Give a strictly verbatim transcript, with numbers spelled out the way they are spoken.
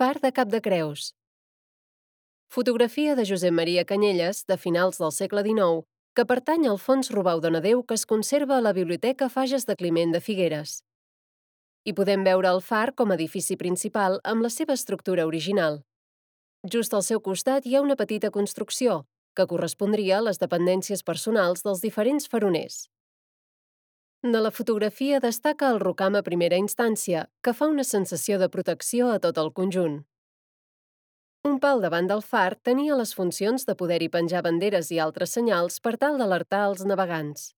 Far de Capdecreus. Fotografia de Josep Maria Canyelles, de finals del segle dinou, que pertany al fons Robau Donadeu que es conserva a la Biblioteca Fages de Climent de Figueres. Hi podem veure el far com a edifici principal amb la seva estructura original. Just al seu costat hi ha una petita construcció, que correspondria a les dependències personals dels diferents faroners. De la fotografia destaca el rocam a primera instància, que fa una sensació de protecció a tot el conjunt. Un pal davant del far tenia les funcions de poder-hi penjar banderes i altres senyals per tal d'alertar els navegants.